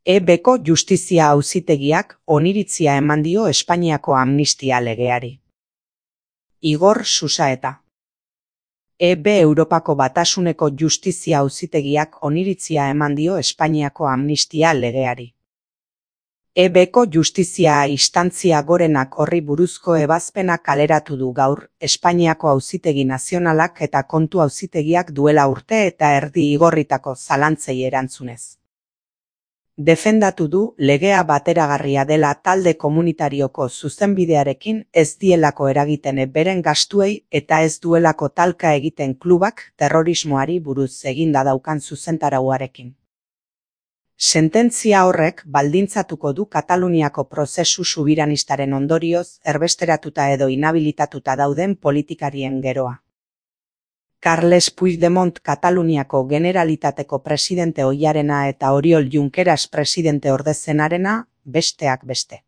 EBko Justizia Auzitegiak oniritzia eman dio Espainiako amnistia legeari. Igor Susaeta. EB Europako Batasuneko Justizia Auzitegiak oniritzia eman dio Espainiako amnistia legeari. EBko Justizia Instantzia Gorenak horri buruzko ebazpena kaleratu du gaur, Espainiako Auzitegi Nazionalak eta Kontu Auzitegiak duela urte eta erdi igorritako zalantzei erantzunez. Defendatu du legea bateragarria dela talde komunitarioko zuzenbidearekin ez dielako eragiten beren gastuei eta ez duelako talka egiten klubak terrorismoari buruz eginda daukan zuzentarauarekin. Sententzia horrek baldintzatuko du Kataluniako prozesu subiranistaren ondorioz erbesteratuta edo inhabilitatuta dauden politikarien geroa. Carles Puigdemont Kataluniako Generalitateko presidente ohiarena eta Oriol Junqueras presidente ordezenarena, besteak beste.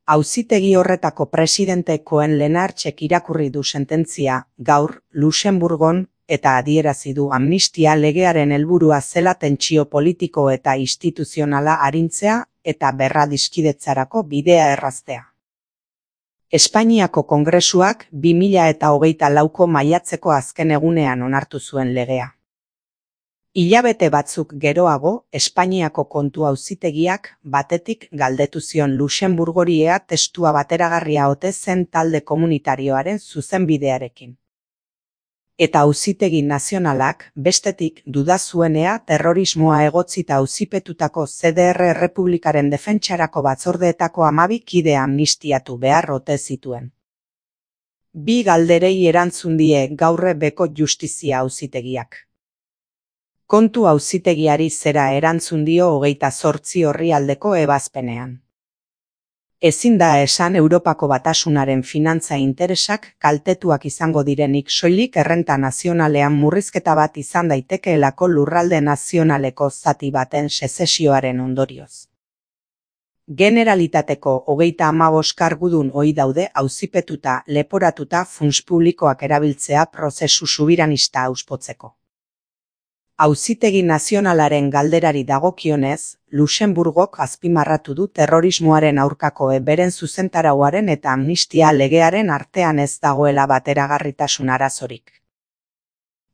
Auzitegi horretako presidentekoen Lenartxek irakurri du sententzia gaur Luxemburgon eta adierazi du amnistia legearen helburua zela tentsio politiko eta instituzionala arintzea eta berradiskidetzarako bidea erraztea. Espainiako Kongresuak 2024ko maiatzeko azken egunean onartu zuen legea. Hilabete batzuk geroago, Espainiako Kontu Auzitegiak batetik galdetu zion Luxemburgori ea testua bateragarria ote zen talde komunitarioaren zuzenbidearekin. Eta Auzitegi Nazionalak bestetik duda zuenea terrorismoa egotzita auzipetutako CDR Errepublikaren defentsarako batzordeetako 12 kide amnistiatu behar ote zituen. Bi galderei erantzun die gaur EBko Justizia Auzitegiak. Kontu Auzitegiari zera erantzun dio 28 orrialdeko ebazpenean. Ezin da esan Europako Batasunaren finantza interesak kaltetuak izango direnik soilik errenta nazionalean murrizketa bat izan daitekeelako lurralde nazionaleko zati baten sezesioaren ondorioz. Generalitateko 35 kargudun ohi daude auzipetuta leporatuta funts publikoak erabiltzea prozesu subiranista auspotzeko. Auzitegi Nazionalaren galderari dagokionez, Luxemburgok azpimarratu du terrorismoaren aurkako beren zuzentarauaren eta amnistia legearen artean ez dagoela bateragarritasun arazorik.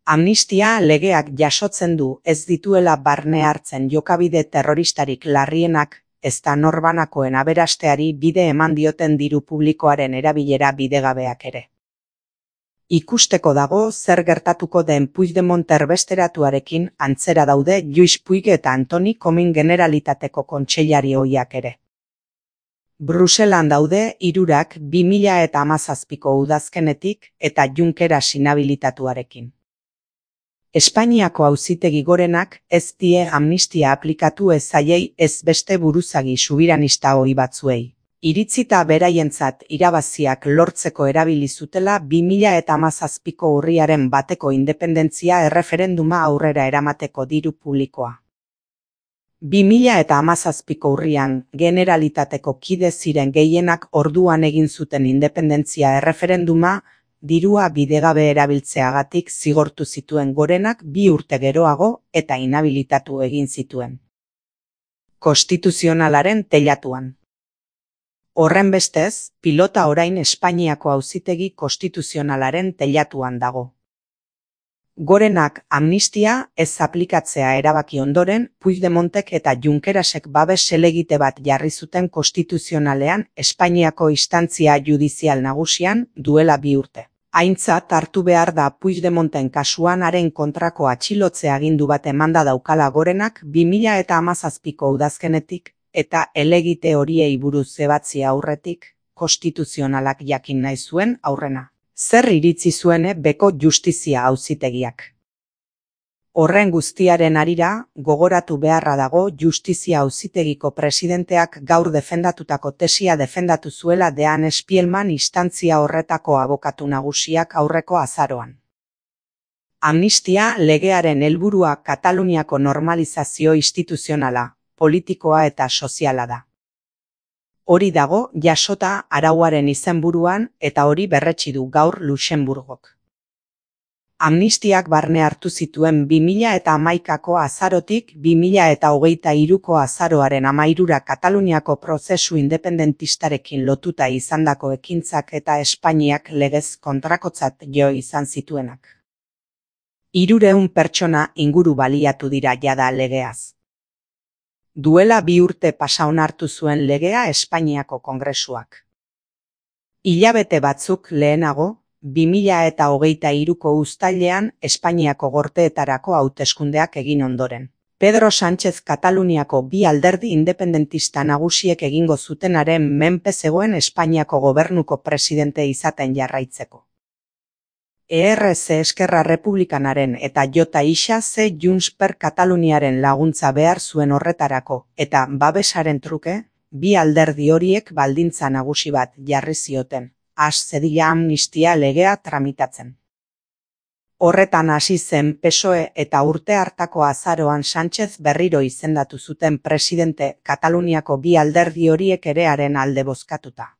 Amnistia legeak jasotzen du ez dituela barne hartzen jokabide terroristarik larrienak, ezta norbanakoen aberasteari bide eman dioten diru publikoaren erabilera bidegabeak ere. Ikusteko dago zer gertatuko den Puigdemont erbesteratuarekin antzera daude Lluís Puig eta Antoni Comín Generalitateko kontseilari ohiak ere. Bruselan daude hirurak 2017ko udazkenetik eta Junqueras inhabilitatuarekin. Espainiako Auzitegi Gorenak ez die amnistia aplikatu ez zaiei ez beste buruzagi subiranista ohi batzuei. Iritzita beraientzat irabaziak lortzeko erabili zutela 2017ko urriaren bateko independentzia erreferenduma aurrera eramateko diru publikoa. 2017ko urrian Generalitateko kide ziren gehienak orduan egin zuten independentzia erreferenduma dirua bidegabe erabiltzeagatik zigortu zituen Gorenak 2 urte geroago eta inhabilitatu egin zituen. Konstituzionalaren teilatuan. Horrenbestez, pilota orain Espainiako Auzitegi Konstituzionalaren teilatuan dago. Gorenak amnistia ez aplikatzea erabaki ondoren, Puigdemontek eta Junquerasek babes helegite bat jarri zuten konstituzionalean Espainiako instantzia judizial nagusian duela 2 urte. Aintzat hartu behar da Puigdemonten kasuan haren kontrako atxilotze agindu bat emanda daukala Gorenak 2017ko udazkenetik, eta helegite horiei buruz ebatzi aurretik, konstituzionalak jakin nahi zuen aurrena. Zer iritzi zuen EBko Justizia Auzitegiak? Horren guztiaren harira, gogoratu beharra dago Justizia Auzitegiko presidenteak gaur defendatutako tesia defendatu zuela Dean Spielman instantzia horretako abokatu nagusiak aurreko azaroan. Amnistia legearen helburua Kataluniako normalizazio instituzionala, politikoa eta soziala da. Hori dago jasota arauaren izenburuan eta hori berretsi du gaur Luxemburgok. Amnistiak barne hartu zituen 2011ko azarotik 2023ko azaroaren 13 Kataluniako prozesu independentistarekin lotuta izandako ekintzak eta Espainiak legez kontrakotzat jo izan zituenak. 300 pertsona inguru baliatu dira jada legeaz. Duela 2 urte pasa onartu zuen legea Espainiako Kongresuak. Hilabete batzuk lehenago, 2023ko uztailean Espainiako Gorteetarako hauteskundeak egin ondoren. Pedro Sánchez Kataluniako bi alderdi independentista nagusiek egingo zutenaren menpe zegoen Espainiako gobernuko presidente izaten jarraitzeko. ERC Eskerra Republikanaren eta JXC Junts per Kataluniaren laguntza behar zuen horretarako eta babesaren truke, bi alderdi horiek baldintza nagusi bat jarri zioten. Has zedila amnistia legea tramitatzen. Horretan hasi zen PSOE eta urte hartako azaroan Sánchez berriro izendatu zuten presidente Kataluniako bi alderdi horiek ere haren alde bozkatuta.